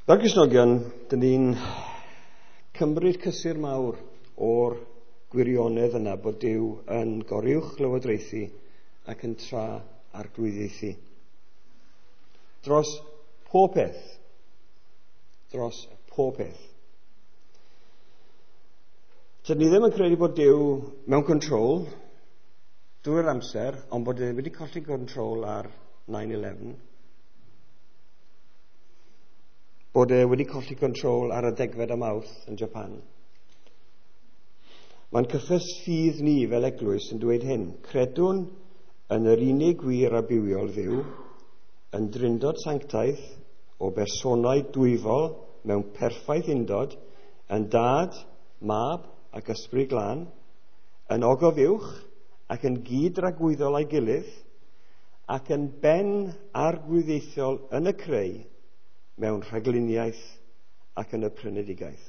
Fel Cristnogion, dyn ni'n cymryd cysur mawr o'r gwirionedd yna bod Duw yn goruwch lywodraethu ac yn tra arglwyddiaethu. Dros pob peth. Dros pob peth. Tydyn ni ddim yn credu bod Duw mewn control drwy'r amser, ond bod e wedi colli control ar 9/11. Bod e wedi colli control ar y 10fed o Mawrth yn Japan. Mae'n cyffes ffydd ni fel eglwys yn dweud hyn: credwn yn yr unig wir a bywiol Dduw, yn drindod sanctaidd o bersonau dwyfol mewn perffaith undod, yn Dad, Mab ac Ysbryd Glân, yn ogof uwch ac yn gyd-dragwyddol â'i gilydd, ac yn ben arglwyddiaethol yn y creu, mewn rhagluniaeth ac yn y prynedigaeth.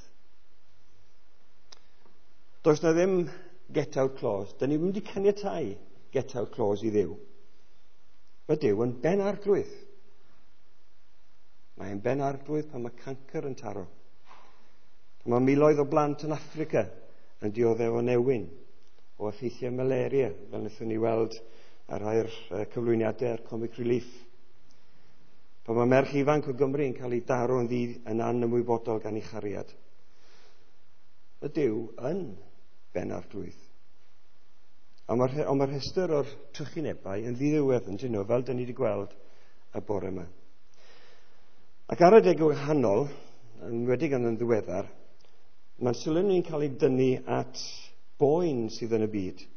Does na ddim get out clause. Dyn ni ddim wedi caniatáu get out clause i Dduw. Mae Duw yn ben arglwydd. Mae'n ben arglwydd pan mae cancr yn taro. Pan mae miloedd o blant yn Affrica yn dioddef o newyn, o effeithiau malaria, fel wnaethon ni weld ar rhai'r cyflwyniadau ar Comic Relief. Pan mae merch ifanc o Gymru yn cael ei daro yn ddydd yn anymwybodol gan ei chariad. Mae Duw yn ben arglwydd. Ond mae'r rhestr o'r trychinebau yn ddiddiwedd yn dyn nhw, fel dyn ni wedi gweld y bore yma. Ac ar adeg wahanol, yn enwedig yn ddiweddar, mae'n sylw ni'n cael ei dynnu at boen sydd yn y byd.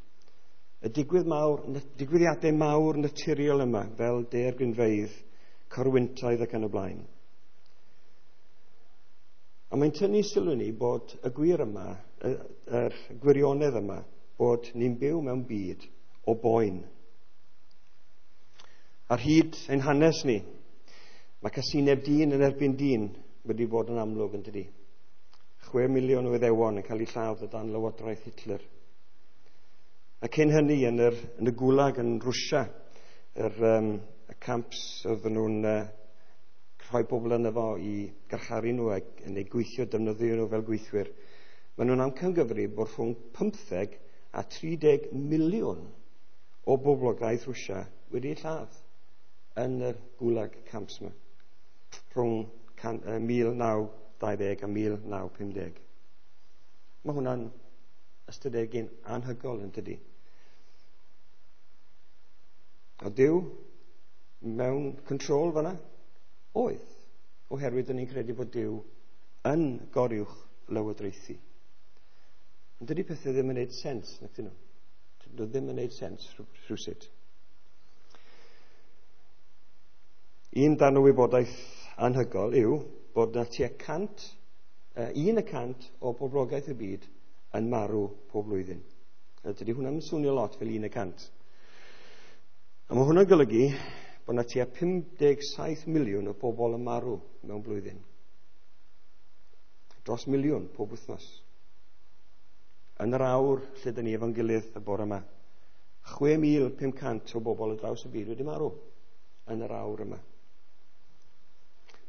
Y digwyddiadau mawr naturiol yma, fel daeargrynfeydd, corwyntaidd ac yn y blaen. A mae'n tynnu sylw ni bod y gwir yma, yr gwirionedd yma, bod ni'n byw mewn byd o boen. Ar hyd ein hanes ni, mae casineb dyn yn erbyn dyn wedi bod yn amlwg yn dydi. 6 miliwn o Iddewon yn cael eu lladd o dan lywodraeth Hitler. A cyn hynny yn y Gulag yn Rwsia, y camps oedden nhw'n rhoi bobl yno fo i garcharu nhw ac yn eu gweithio, defnyddio nhw fel gweithwyr. Maen nhw'n amcangyfrif bod rhwng 15 a 30 miliwn o boblogaeth Rwsia wedi eu lladd yn yr Gulag camps yma, rhwng 1920 a 1950. Mae hwnna'n ystadegyn anhygoel yn dydi. A Duw mewn control fanna? Oedd, oherwydd dyn ni'n credu bod Duw yn goruwch lywodraethu. Ond dydy pethau ddim yn neud sens, nac dyn nhw. Dyn nhw ddim yn neud sens rhywsut. Un darn o wybodaeth anhygoel yw bod na tua 1% o boblogaeth y byd yn marw pob blwyddyn. A dydy hwnna'n swnio lot fel 1%. A mae hwnna'n golygu bod na tua 57 miliwn o bobl yn marw mewn blwyddyn. Dros miliwn pob wythnos. Yn yr awr lle dyn ni efo'n gilydd y bore yma, 6,500 o bobl ar draws y byd wedi marw yn yr awr yma.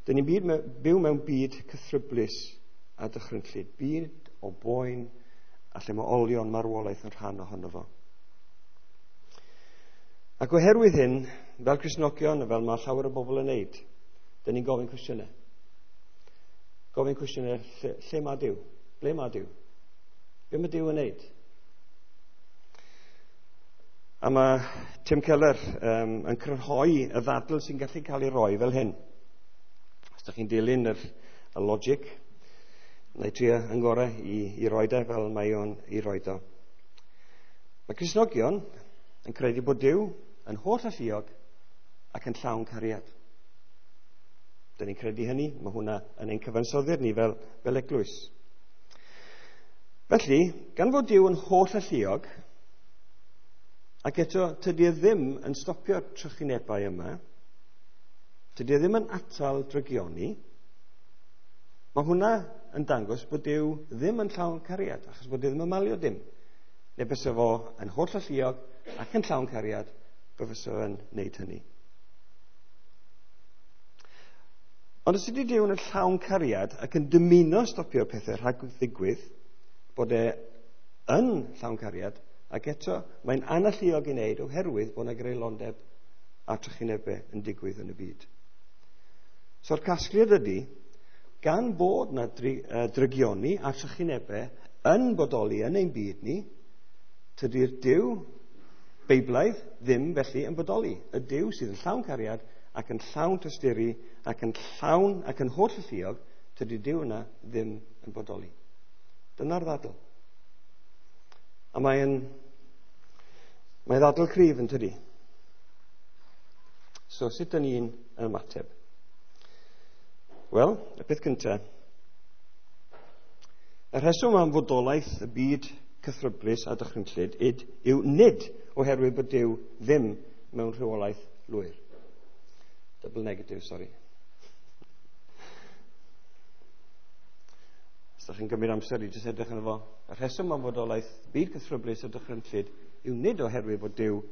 Dyn ni'n byw mewn byd cythryblus a dychrynllyd, byd o boen a lle mae olion marwolaeth yn rhan ohono fo. Ac oherwydd hyn, fel Cristnogion, fel mae llawer o bobl yn neud, dyn ni'n gofyn cwestiynau. Gofyn cwestiynau, lle mae Duw? Ble mae Duw? Be mae Duw yn neud? A mae Tim Keller yn crynhoi y ddadl sy'n gallu cael ei roi fel hyn. Os ydych chi'n dilyn y logic, na i trio yn gorau i roed e fel mae o'n i roed o. Mae Cristnogion yn credu bod Duw yn holl alluog ac yn llawn cariad. Dyn ni'n credu hynny, mae hwnna yn ein cyfansoddiad ni fel eglwys. Felly, gan fod Duw yn holl alluog, ac eto tydi e ddim yn stopio'r trychinebau yma, tydi e ddim yn atal drygioni, mae hwnna yn dangos bod Duw ddim yn llawn cariad, achos bod e ddim yn malio dim. Neu bysa fo yn holl alluog ac yn llawn cariad, bysa fo'n neud hynny. Ond os ydy Duw yn llawn cariad ac yn dymuno stopio'r pethau rhag ddigwydd, bod e yn llawn cariad, ac eto mae'n analluog i wneud oherwydd bod yna greulondeb a trychinebau yn digwydd yn y byd. So'r casgliad ydy, gan bod yna drygioni a trychinebau yn bodoli yn ein byd ni, tydi'r Duw Beiblaidd ddim felly yn bodoli. Y Duw sydd yn llawn cariad ac yn llawn tosturi ac yn llawn ac yn holl alluog, tydi Duw yna ddim yn bodoli. Dyna'r ddadl. A mae'n ddadl cryf yn tydi. So, sut dyn ni'n ymateb? Wel, y peth cyntaf, y rheswm am fodolaeth y byd cythryblus a dychrynllyd yw nid oherwydd bod Duw ddim mewn rheolaeth lwyr. Double negative, sorry. Os ydych chi'n gymryd amser i jyst edrych arno fo, y rheswm am fodolaeth byd cythryblus a dychrynllyd yw nid oherwydd bod Duw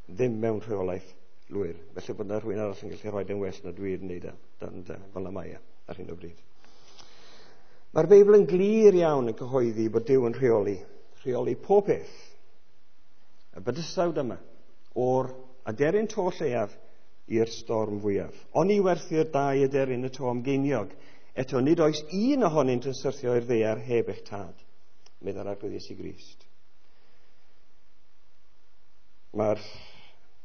ddim mewn rheolaeth lwyr. Felly bod yna rhywun arall yn gallu rhoi yn well na dwi'n wneud e, fel na mae e ar hyn o bryd. Mae'r Beibl yn glir iawn yn cyhoeddi bod Duw yn rheoli pob peth. Y bydysawd yma, o'r aderyn to lleiaf i'r storm fwyaf. Oni werthu'r dau aderyn y to am geiniog, eto nid oes un ohonynt yn syrthio i'r ddaear heb eich tad, meddai'r Arglwydd Iesu Grist. Mae'r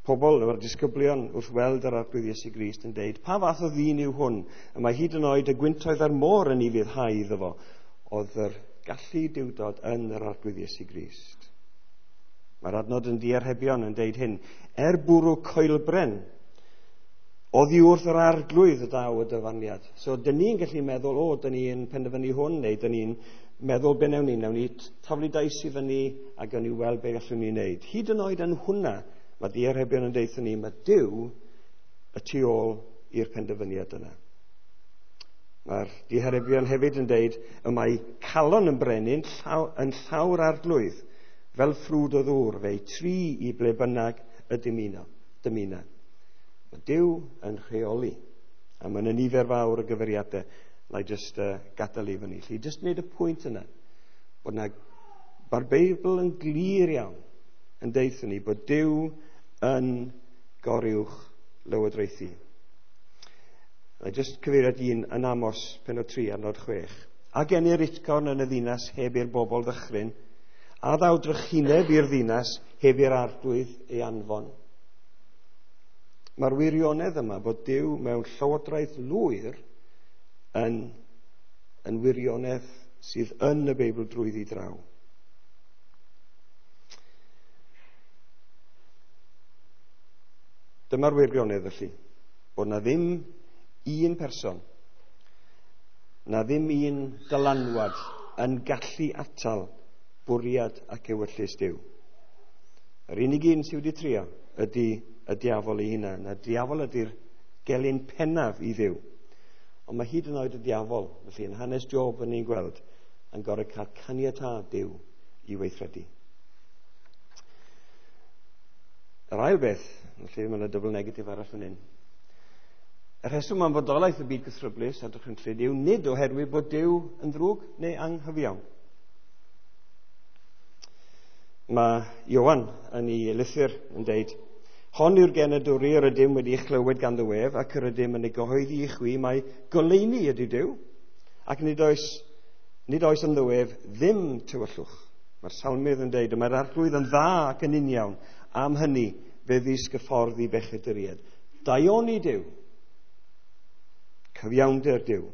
pobl, mae'r disgyblion wrth weld yr Arglwydd Iesu Grist yn deud, pa fath o ddyn yw hwn? Y mae hyd yn oed y gwyntoedd a'r môr yn ufuddhau iddo fo. Oedd yr gallu duwdod yn yr Arglwydd Iesu Grist. Mae'r adnod yn Diarhebion yn deud hyn, er bwrw coelbren, oddi wrth yr Arglwydd y daw y dyfarniad. So, dyn ni'n gallu meddwl, o, dyn ni'n penderfynu hwn, neu dyn ni'n meddwl be newn ni taflu dais i fyny a gawn ni weld be gallwn ni wneud. Hyd yn oed yn hwnna, mae Diarhebion yn deutha ni, mae Duw y tu ôl i'r penderfyniad yna. Mae'r Diarhebion hefyd yn deud, y mae calon yn brenin yn llaw'r Arglwydd, fel ffrwd o ddŵr, fe'i tri i ble bynnag y dymuna. Mae Duw yn rheoli, a mae yna nifer fawr o gyfeiriadau, na i jyst gadael i fyny. Lly, jyst wneud y pwynt yna, bod na, mae'r Beibl yn glir iawn yn deutha ni bod Duw yn goruwch lywodraethu. Na i jyst cyfeiriad un yn Amos pennod 3 adnod 6. A genir utgorn yn y ddinas heb i'r bobl ddychryn, a ddaw drychineb i'r ddinas heb i'r Arglwydd ei anfon. Mae'r wirionedd yma bod Duw mewn llywodraeth lwyr yn wirionedd sydd yn y Beibl drwyddi draw. Dyma'r wirionedd felly, bod na ddim un person, na ddim un dylanwad yn gallu atal bwriad ac ewyllys Duw. Yr unig un sydd wedi trio ydy y diafol ei hunan. Y diafol ydy'r gelyn pennaf i Dduw. Ond mae hyd yn oed y diafol, felly yn hanes Job yn ni'n gweld, yn gorfod cael caniatâd Duw i weithredu. Yr ail beth, felly mae yna double negative arall fan hyn. Y rheswm am fodolaeth y byd cythryblus a dychrynllyd yw nid oherwydd bod Duw yn ddrwg neu anghyfiawn. Mae Ioan yn ei lythyr yn deud, hon yw'r genadwri yr ydym wedi ei chlywed gan dy wef ac yr ydym yn ei gyhoeddi i chwi mai goleuni ydy Duw, ac nid oes ynddo ef ddim tywyllwch. Mae'r salmydd yn deud, mae'r Arglwydd yn dda ac yn uniawn, am hynny fe ddysg y ffordd i bechaduriaid. Daioni Duw, cyfiawnder Duw,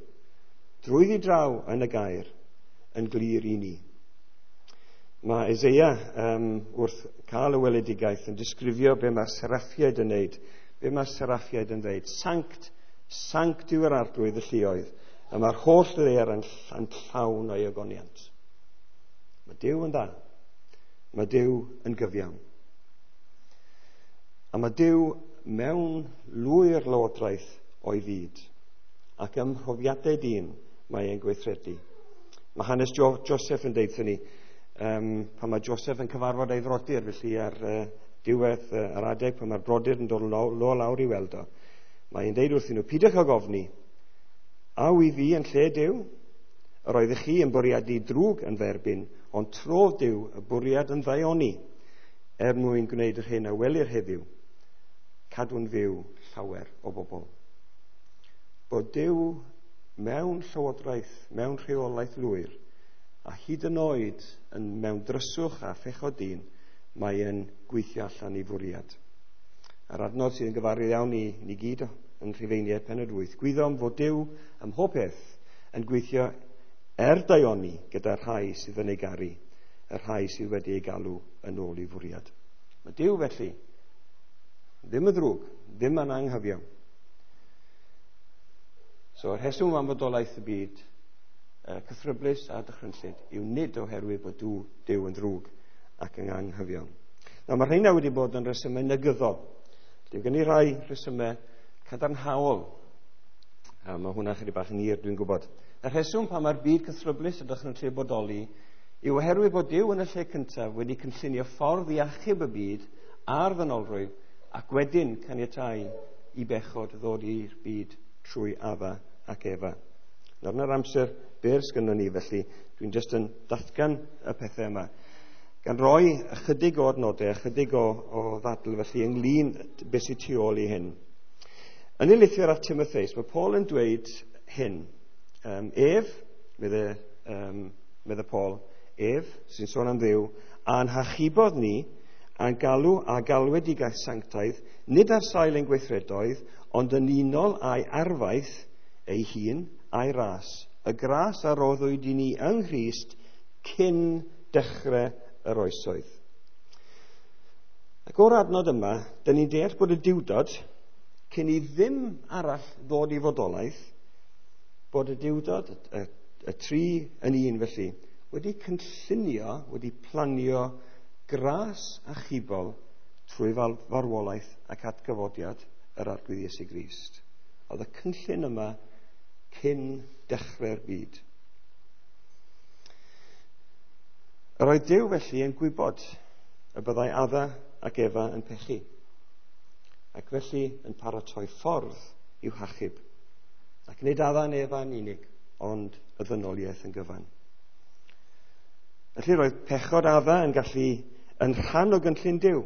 drwyddi draw yn y gair, yn glir i ni. Mae Eseia wrth cael y weledigaeth yn disgrifio be mae'r seraffiaid yn wneud, be mae'r seraffiaid yn dweud. Sanct, sanct yw yr Arglwydd y lluoedd, a mae'r holl ddaear yn llawn o'i ogoniant. Mae Duw yn dda, mae Duw yn gyfiawn. A mae Duw mewn lwyr lywodraeth o'i fyd, ac ym mhrofiadau dyn mae e'n gweithredu. Mae hanes Joseph yn deud ni, pan mae Joseph yn cyfarfod ei frodyr, felly ar diwedd yr adeg pan mae'r brodyr yn dod lawr i weld o, mae'n deud wrthyn nhw, pidwch ag ofni, A wy fi yn lle Duw? Yr oeddech chi yn bwriadu drwg yn f'erbyn, ond trodd Duw y bwriad yn ddaioni, er mwyn gwneud yr hyn a welir heddiw, cadw'n fyw llawer o bobl. Bod Duw mewn llywodraeth, mewn rheolaeth lwyr, a hyd yn oed yn mewn dryswch a phechod dyn, mae e'n gweithio allan i fwriad. A'r adnod sydd yn gyfarwydd iawn i ni gyd yn Rhufeiniau pennod 8. Gwyddom fod Duw ym mhob peth yn gweithio er daioni gyda'r rhai sydd yn ei garu, y rhai sydd wedi ei galw yn ôl i fwriad. Mae Duw felly ddim yn ddrwg, ddim yn anghyfiawn. So, yr rheswm am fodolaeth y byd cythryblus a dychrynllyd yw nid oherwydd bod Duw, Duw yn ddrwg ac yn anghyfiawn. Nawr, mae rheina wedi bod yn resymau negyddol. Dwi'n gen i rai rhesymau cadarnhaol. A mae hwnna chydig bach yn hir, dwi'n gwybod. Y rheswm pan mae'r byd cythryblus a dychrynllyd bodoli yw oherwydd bod Duw yn y lle cyntaf wedi cynllunio ffordd i achub y byd a'r ddynolrwydd ac wedyn caniatáu i bechod ddod i'r byd trwy Adda ac Efa. Nawr, yna'r amser byr sgynnon ni, felly dwi'n jyst yn datgan y pethau yma. Gan roi ychydig o adnodau, ychydig o ddadl felly ynglyn beth sydd tu ôl i hyn. Yn ei lythyr at Timotheus, mae Paul yn dweud hyn. Ef, medde Paul, ef, sy'n sôn am Dduw, a'n hachubodd ni, a'n galw a galwedigaeth sanctaidd, nid ar sail ein gweithredoedd, ond yn unol â'i arfaeth ei hun a'i ras. Y gras a roddwyd i ni yng Nghrist cyn dechrau yr oesoedd. Ac o'r adnod yma, dyn ni'n deall bod y Duwdod, cyn i ddim arall ddod i fodolaeth, bod y Duwdod, y tri yn un felly, wedi cynllunio, wedi planio gras achubol trwy farwolaeth ac atgyfodiad yr Arglwydd Iesu Grist. Oedd y cynllun yma cyn dechrau'r byd. Yr oedd Duw felly yn gwybod y byddai Adda ac Efa yn pechu, ac felly yn paratoi ffordd i'w hachub. Ac nid Adda yn Efa yn unig, ond y ddynoliaeth yn gyfan. Felly roedd pechod Adda yn gallu yn rhan o gynllun Duw.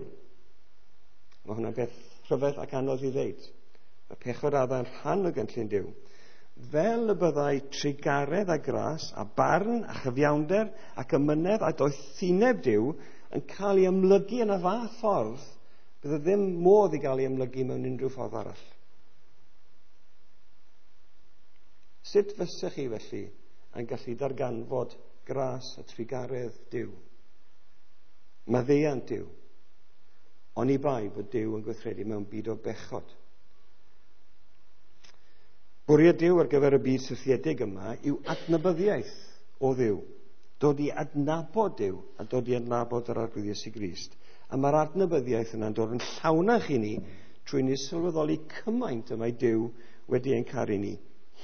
Mae hwnna'n beth rhyfedd ac anodd i ddeud. Mae pechod Adda yn rhan o gynllun Duw. Fel y byddai trugaredd a gras a barn a chyfiawnder ac amynedd a doethineb Duw yn cael ei amlygu yn y fath ffordd, bydde ddim modd i gael ei amlygu mewn unrhyw ffordd arall. Sut fysech chi felly yn gallu darganfod gras a trugaredd Duw? Maddeuant Duw. Oni bai fod Duw yn gweithredu mewn byd o bechod. Bwriad Duw ar gyfer y byd syrthiedig yma yw adnabyddiaeth o Dduw. Dod i adnabod Duw a dod i adnabod yr Arglwydd Iesu Grist. A mae'r adnabyddiaeth yna'n dod yn llawnach i ni trwy ni sylweddoli cymaint y mae Duw wedi ein caru ni,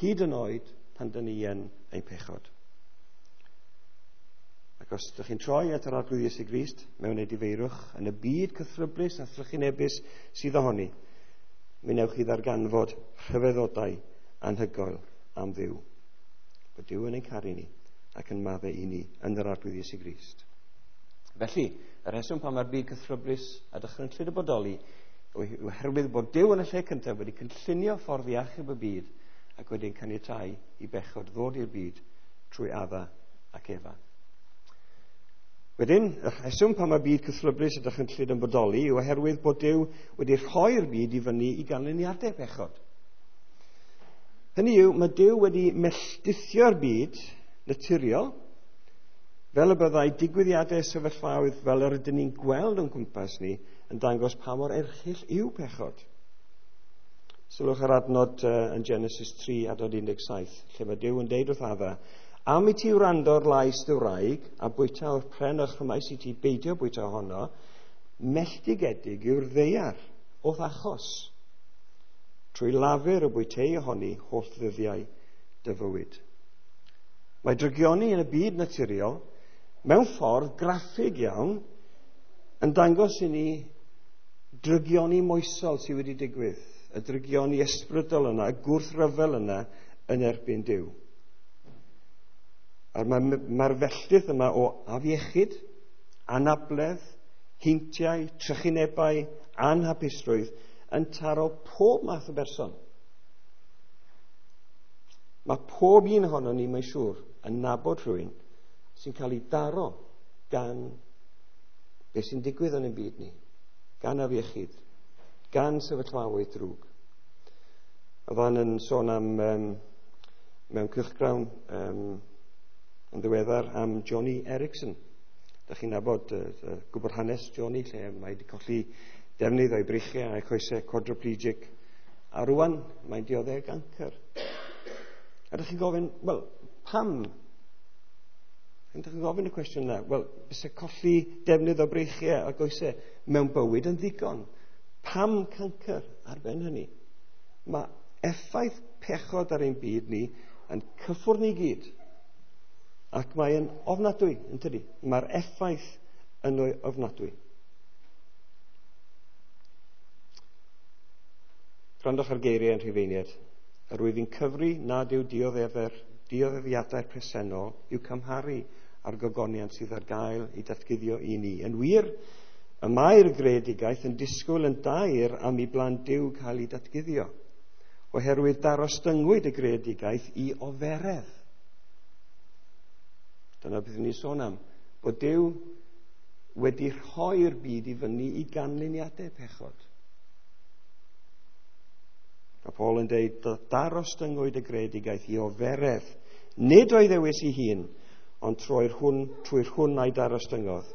hyd yn oed pan dyn ni yn ein pechod. Ac os ydych chi'n troi at yr Arglwydd Iesu Grist mewn edifeirwch yn y byd cythryblus a thrychinebus sydd ohoni, mi wnewch chi ddarganfod rhyfeddodau anhygoel am Dduw. Bod Duw yn ein caru ni ac yn maddau i ni yn yr Arglwydd Iesu Grist. Felly, y rheswm pan mae'r byd cythryblus a dychrynllyd y bodoli yw oherwydd bod Duw yn y lle cyntaf wedi cynllunio ffordd i achub y byd ac wedi'n caniatáu i bechod ddod i'r byd trwy Adda ac Efa. Wedyn, y rheswm pan mae byd cythryblus a dychrynllyd yn bodoli yw oherwydd bod Duw wedi rhoi'r byd i fyny i ganlyniadau pechod. Hynny yw, mae Duw wedi melldithio'r byd naturiol, fel y byddai digwyddiadau sefyllfaoedd fel yr ydyn ni'n gweld o'n cwmpas ni yn dangos pa mor erchyll yw pechod. Sylwch ar adnod yn Genesis 3 adnod 17, lle mae Duw yn deud wrth Adda, am i ti wrando'r lais dy wraig a bwyta o'r pren o'ch rhymais i ti beidio bwyta ohono, melltigedig yw'r ddaear o'th achos, trwy lafur y bwytei ohoni holl ddyddiau dy fywyd. Mae drygioni yn y byd naturiol mewn ffordd graffig iawn yn dangos i ni drygioni moesol sydd wedi digwydd, y drygioni ysbrydol yna, y gwrthryfel yna yn erbyn Duw. A mae'r felltith yma o afiechyd, anabledd, heintiau, trychinebau, anhapusrwydd yn taro pob math o berson. Mae pob un ohono ni, mae'n siŵr, yn nabod rhywun sy'n cael ei daro gan beth sy'n digwydd yn ein byd ni, gan afiechyd, gan sefyllfaoedd drwg. Oedd o'n yn sôn am mewn cylchgrawn yn ddiweddar am Johnny Erickson. Da chi'n nabod, gwybod hanes Johnny, lle mae wedi colli defnydd o'i breichiau a'i choesau, quadriplegic, a rwan mae'n dioddef gancr. A ydych chi'n gofyn, wel, pam? Ydych chi'n gofyn y cwestiwn yna? Wel, byse colli defnydd o breichiau a goesau mewn bywyd yn ddigon. Pam cancr ar ben hynny? Mae effaith pechod ar ein byd ni yn cyffwrdd ni gyd. Ac mae'n ofnadwy, yn tydi? Mae'r effaith yn ofnadwy. Gwrandwch ar geiriau yn Rhufeiniaid. Yr wyf i'n cyfri nad yw dioddefiadau'r presennol i'w cymharu â'r gogoniant sydd ar gael ei datguddio i ni. Yn wir, y mae'r greadigaeth yn disgwyl yn daer am i blant Duw cael ei datguddio, oherwydd darostyngwyd y greadigaeth i oferedd. Dyna beth ni'n sôn am, bod Duw wedi rhoi'r byd i fyny i ganlyniadau pechod. Mae Paul yn dweud, darostyngwyd y greadigaeth i oferedd, nid o'i ddewis ei hun, ond trwy'r hwn a'i darostyngodd.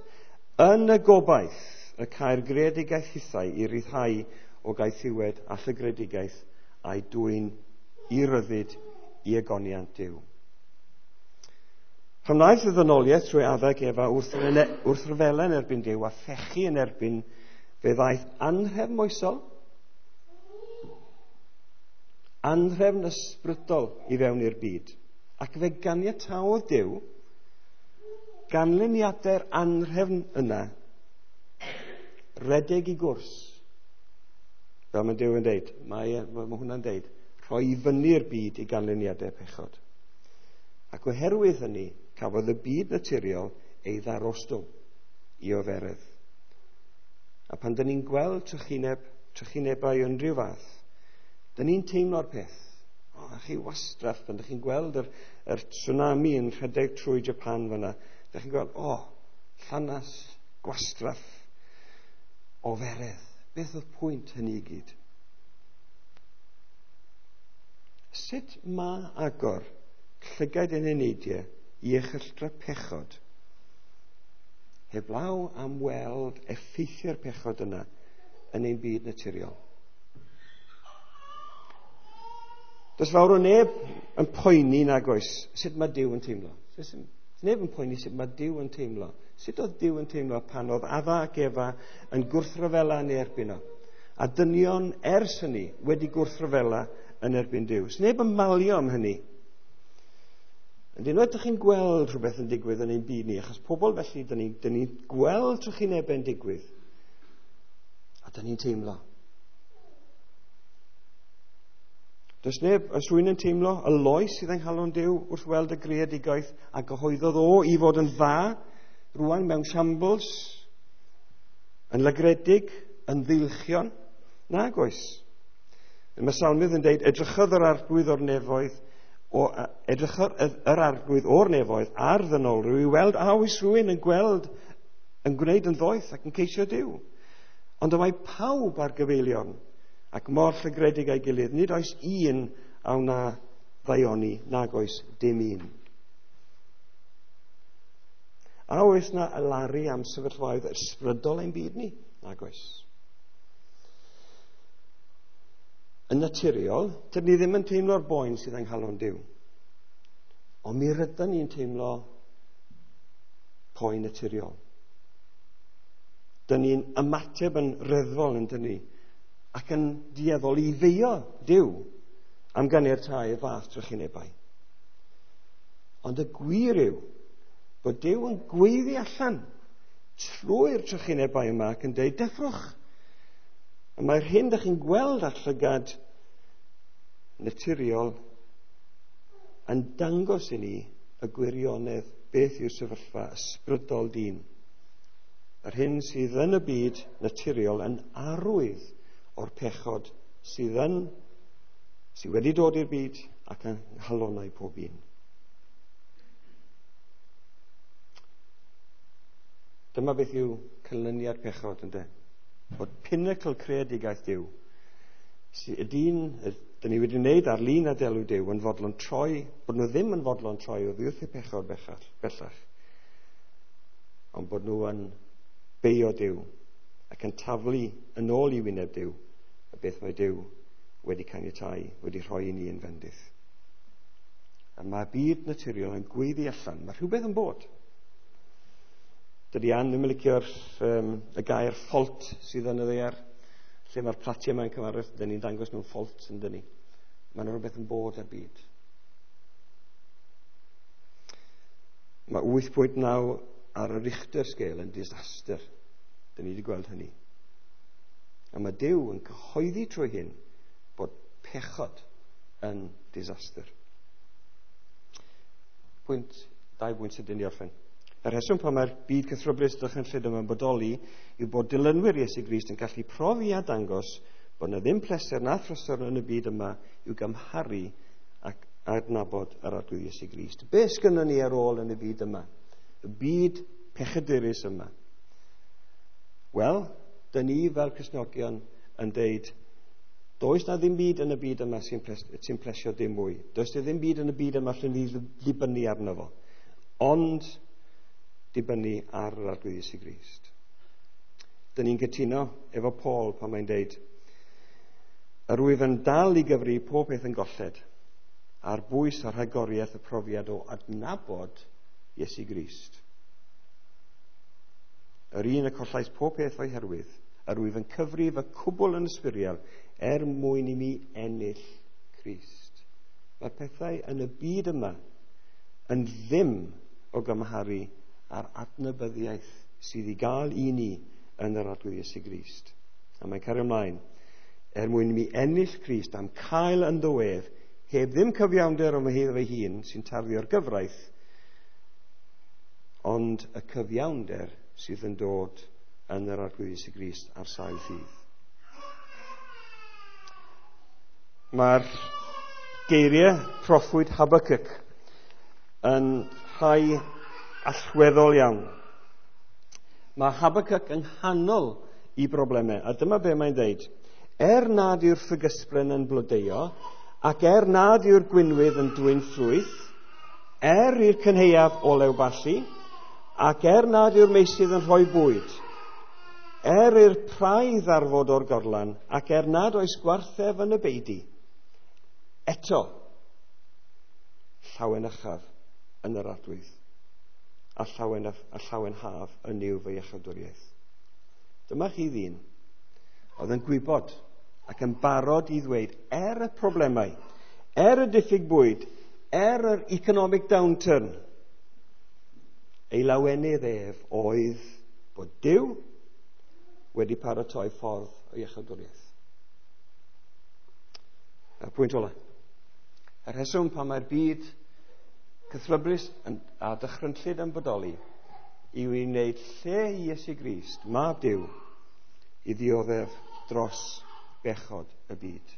Yn y gobaith y cael greadigaeth hithau i ryddhau o gaethiwed a llygredigaeth a'i dwyn i ryddid i egoniant Duw. Pan wnaeth y ddynoliaeth trwy Adda ac Efa wrthryfela yn erbyn Duw a phechu yn erbyn, fe ddaeth anhrefn moesol, anhrefn ysbrydol i fewn i'r byd. Ac fe ganiataodd Duw ganlyniadau'r anhrefn yna redeg i gwrs. Fel mae Duw yn deud, mae hwnna'n deud, rhoi i fyny'r byd i ganlyniadau pechod. Ac oherwydd hynny, cafodd y byd naturiol ei ddarostwng i oferedd. A pan dyn ni'n gweld trychinebau unrhyw fath, dyn ni'n teimlo'r peth. O, a chi wastraff, pan dych chi'n gweld yr tsunami yn rhedeg trwy Japan fyna, dych chi'n gweld, o, llanas, gwastraff, oferedd. Beth oedd pwynt hynny i gyd? Sut mae agor llygaid yn eneidiau i erchylltra pechod heblaw am weld effeithiau'r pechod yna yn ein byd naturiol? Does fawr o neb yn poeni nag oes sut mae Duw yn teimlo. Does neb yn poeni sut mae Duw yn teimlo. Sut oedd Duw yn teimlo pan oedd Adda ac Efa yn gwrthryfela yn erbyn o? A dynion ers hynny wedi gwrthryfela yn erbyn Duw. Does neb yn malio am hynny. Ond unwaith ydych chi'n gweld rhywbeth yn digwydd yn ein byd ni, achos pobl felly, dyn ni'n gweld trychinebau'n digwydd, a dyn ni'n teimlo. Does neb, oes rhywun yn teimlo y loes sydd yng nghalon Duw wrth weld y greadigaeth a gyhoeddodd o i fod yn dda, rwan mewn shambles, yn lygredig, yn ddeilchion? Nag oes. Mae Salmydd yn dweud, edrychodd yr arglwydd o'r nefoedd, edrychodd yr arglwydd o'r nefoedd ar ddynolryw i weld a oes rhywun yn gweld, yn gwneud yn ddoeth ac yn ceisio Duw. Ond y mae pawb ar gyfeilion ac mor llygredig a'i gilydd, nid oes un a wna ddaioni, nag oes dim un. A oes na alaru am sefyllfaoedd ysbrydol ein byd ni? Nag oes. Yn naturiol, dydyn ni ddim yn teimlo'r boen sydd yng nghalon Duw. Ond mi rydyn ni'n teimlo poen naturiol. Dyn ni'n ymateb yn reddfol yn dyn ni, ac yn dueddol i feio Duw am ganiatáu y fath trychinebau. Ond y gwir yw bod Duw yn gweiddi allan trwy'r trychinebau yma ac yn dweud, deffrwch. A mae'r hyn ydych chi'n gweld ar llygad naturiol yn dangos i ni y gwirionedd beth yw'r sefyllfa ysbrydol dyn. Yr hyn sydd yn y byd naturiol yn arwydd o'r pechod sydd wedi dod i'r byd ac yng nghalonnau pob un. Dyma beth yw canlyniad pechod, ynde? Bod pinnacle creadigaeth Duw, y dyn, dyn ni wedi wneud ar lun a delw Duw, yn fodlon troi, bod nhw ddim yn fodlon troi oddi wrth eu pechod bellach, ond bod nhw yn beio Duw ac yn taflu yn ôl i wyneb Duw y beth mae Duw wedi caniatáu, wedi rhoi i ni yn fendith. A mae byd naturiol yn gweiddi allan, mae rhywbeth yn bod. Dydy Ann ddim yn licio'r y gair ffault sydd yn y ddaear, lle mae'r platiau yma'n cyfarwydd, dyn ni'n dangos nhw'n ffault yn dyn ni. Mae yna rhywbeth yn bod ar byd. Mae 8.9 ar y Richter scale yn disaster. Dyn ni wedi gweld hynny. A mae Duw yn cyhoeddi trwy hyn bod pechod yn disaster. Dau bwynt sydyn i orffen. Y rheswm pan mae'r byd cythryblus dychrynllyd yma'n bodoli yw bod dilynwyr Iesu Grist yn gallu profi a dangos bod yna ddim pleser na thrysor yn y byd yma i'w gymharu ac adnabod yr Arglwydd Iesu Grist. Be sgynnon ni ar ôl yn y byd yma? Y byd pechadurus yma. Wel, dyn ni fel Cristnogion yn deud, does na ddim byd yn y byd yma sy'n plesio dim mwy. Does na ddim byd yn y byd yma lle ni ddibynnu arno fo. Ond dibynnu ar yr Arglwydd Iesu Grist. Dyn ni'n cytuno efo Paul pan mae'n deud, yr wyf yn dal i gyfri pob peth yn golled ar bwys a rhagoriaeth y profiad o adnabod Iesu Grist. Yr un y collais pob peth o'i herwydd, yr wyf yn cyfrif y cwbl yn ysbwriel er mwyn i mi ennill Crist. Mae'r pethau yn y byd yma yn ddim o gymharu a'r adnabyddiaeth sydd i gael i ni yn yr Arglwydd Iesu Grist. A mae'n cario ymlaen. Er mwyn i mi ennill Crist am cael ynddo ef, heb ddim cyfiawnder o fy fy hun sy'n tarddu o'r gyfraith, ond y cyfiawnder sydd yn dod yn yr Arglwydd Iesu Grist ar sail ffydd. Mae'r geiriau proffwyd Habakkuk yn rhai allweddol iawn. Mae Habakkuk yng nghanol i broblemau, a dyma be mae'n deud. Er nad yw'r ffigysbren yn blodeuo, ac er nad yw'r gwinwydd yn dwyn ffrwyth, er i'r cynhaeaf olew ballu, ac er nad yw'r meysydd yn rhoi bwyd, er i'r praidd ddarfod o'r gorlan, ac er nad oes gwarthef yn y beudy, eto llawenychaf yn yr Arglwydd, a llawenhaf yn Nuw fy iechydwriaeth. Dyma chi ddyn oedd yn gwybod ac yn barod i ddweud, er y problemau, er y diffyg bwyd, er yr economic downturn, ei lawenydd ef oedd bod Duw wedi paratoi ffordd o iechydwriaeth. A'r pwynt ola. Y rheswm pan mae'r byd cythryblus a dychrynllyd yn bodoli yw i wneud lle i Iesu Grist, mab Duw, i ddioddef dros bechod y byd.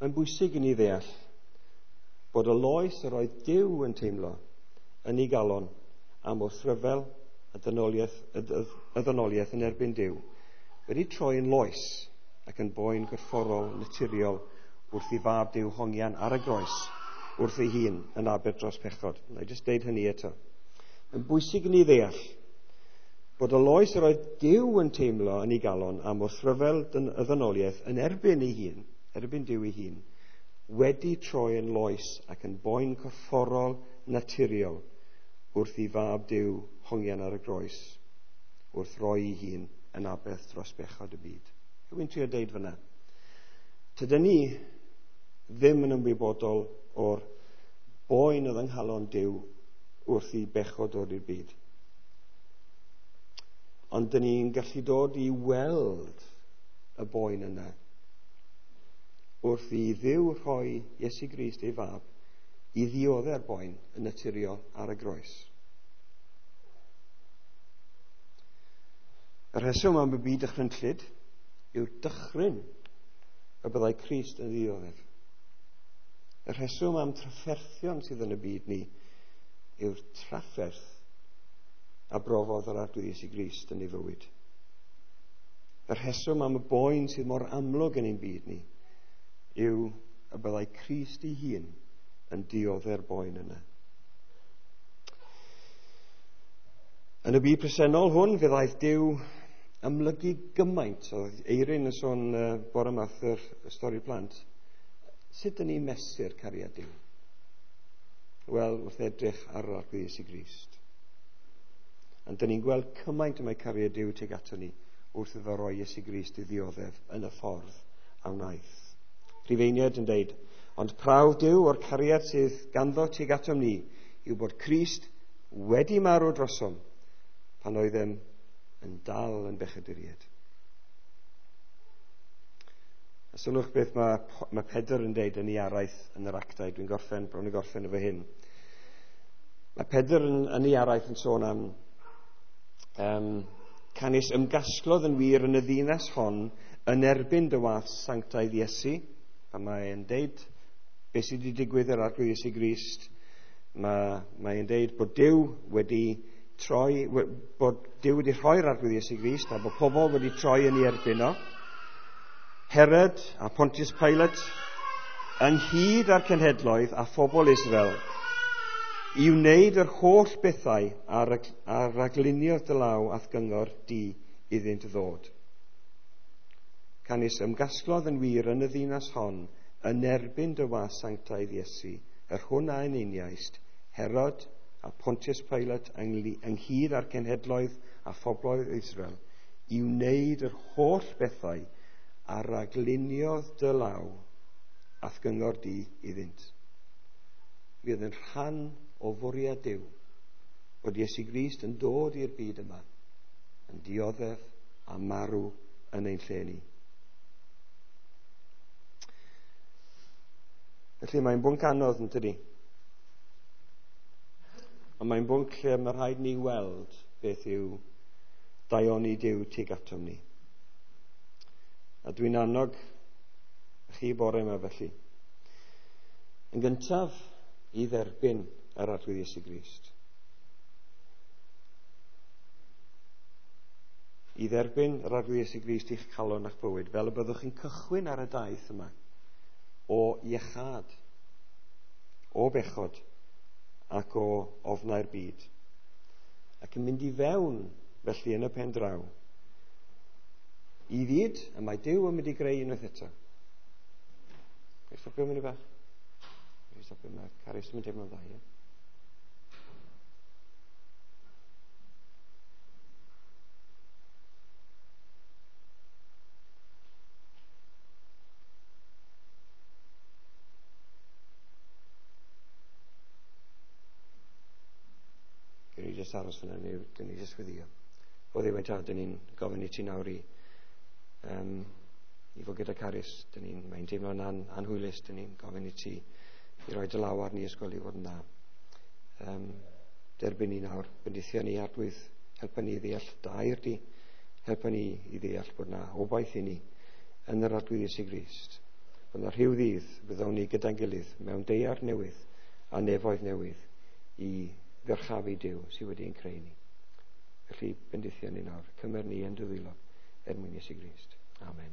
Mae'n bwysig i ni ddeall bod y loes yr oedd Duw yn teimlo yn ei galon am wrthryfel y ddynoliaeth yn erbyn Duw wedi troi yn loes ac yn boen gorfforol naturiol wrth i fab Duw hongian ar y groes wrth ei hun yn aber dros pechod. Na i jyst deud hynny eto. Mae'n bwysig i ni ddeall bod y loes yr oedd Duw yn teimlo yn ei galon am wrthryfel y ddynoliaeth yn erbyn ei hun, erbyn Duw ei hun, wedi troi yn loes ac yn boen corfforol naturiol wrth i fab Duw hongian ar y groes, wrth roi ei hun yn aberth dros bechod y byd. Rwy'n trio deud fyna. Tydyn ni ddim yn ymwybodol o'r boen oedd yng nghalon Duw wrth i bechod dod i'r byd. Ond dyn ni'n gallu dod i weld y boen yna wrth i Dduw rhoi Iesu Grist ei fab i ddiodde'r boen yn naturiol ar y groes. Y rheswm am y byd dychrynllyd yw'r dychryn y byddai Crist yn ddioddef. Y rheswm am trafferthion sydd yn y byd ni yw'r trafferth a brofodd yr Arglwydd Iesu Grist yn ei fywyd. Y rheswm am y boen sydd mor amlwg yn ein byd ni yw y byddai Crist ei hun yn diodde'r boen yna. Yn y byd presennol hwn, fe ddaeth Duw amlygu gymaint. Oedd Eirin yn sôn bore yma wrth yr stori plant. Sut dyn ni'n mesur cariad Duw? Wel, wrth edrych ar yr Arglwydd Iesu Grist. Ond dyn ni'n gweld cymaint y mae cariad Duw tuag ato ni wrth iddo roi Iesu Grist i ddioddef yn y ffordd a wnaeth. Rhufeiniaid yn deud, ond prawf Duw o'r cariad sydd ganddo tuag atom ni yw bod Crist wedi marw drosom pan oeddem yn dal yn bechaduriaid. A sylwch beth mae Pedr yn deud yn ei araith yn yr actau. Dwi'n gorffen, bron i gorffen efo hyn. Mae Pedr yn ei araith yn sôn am canys ymgasglodd yn wir yn y ddinas hon yn erbyn dy was sanctaidd Iesu. A mae'n deud beth sydd wedi digwydd yr Arglwydd Iesu Grist. Mae'n deud bod Duw wedi troi, bod Duw wedi rhoi'r Arglwydd Iesu Grist a bod pobl wedi troi yn ei erbyn o. Herod a Pontius Pilate ynghyd â'r cenhedloedd a phobl Israel i wneud yr holl bethau a ragluniodd dy law a'th gyngor di iddynt ddod. Canys ymgasglodd yn wir yn y ddinas hon yn erbyn dy was sanctaidd Iesu, yr hwn a eneiniaist, Herod a Pontius Pilate ynghyd â'r cenhedloedd a phobloedd Israel, i wneud yr holl bethau a ragluniodd dy law a'th gyngor di iddynt. Fydd yn rhan o fwriad Duw bod Iesu Grist yn dod i'r byd yma, yn dioddef a marw yn ein lle ni. Felly mae'n bwnc anodd, yn tydi? Ond mae'n bwnc lle mae rhaid ni weld beth yw daioni Duw tuag atom ni. A dwi'n annog chi bore yma felly. Yn gyntaf, i dderbyn yr Arglwydd Iesu Grist. I dderbyn yr Arglwydd Iesu Grist i'ch calon a'ch bywyd, fel y byddwch chi'n cychwyn ar y daith yma o iechâd, o bechod ac o ofnau'r byd. Ac yn mynd i fewn felly yn y pen draw i fyd y mae Duw yn mynd i greu unwaith eto. Ga i stopio munud bach? Ga i stopio, mae Carys yn mynd teimlo'n dda, ie? Gawn ni jyst aros fyna, neu dyn ni jyst weddio. O Dduw ein tad, dyn ni'n gofyn i ti nawr i fod gyda Carys. Dyn ni'n, mae'n teimlo'n anhwylus, dyn ni'n gofyn i ti i roi dy law arni ysgol i fod yn dda. Derbyn ni nawr, bendithio ni Arglwydd, helpa ni i ddeall dy air di, helpa ni i ddeall bod na obaith i ni yn yr Arglwydd Iesu Grist. Bod na rhyw ddydd fyddwn ni gyda'n gilydd mewn daear newydd a nefoedd newydd i ddyrchafu Duw sydd wedi ein creu ni. Felly bendithio ni nawr, cymer ni yn dy ddwylo er mwyn Iesu Grist. Amen.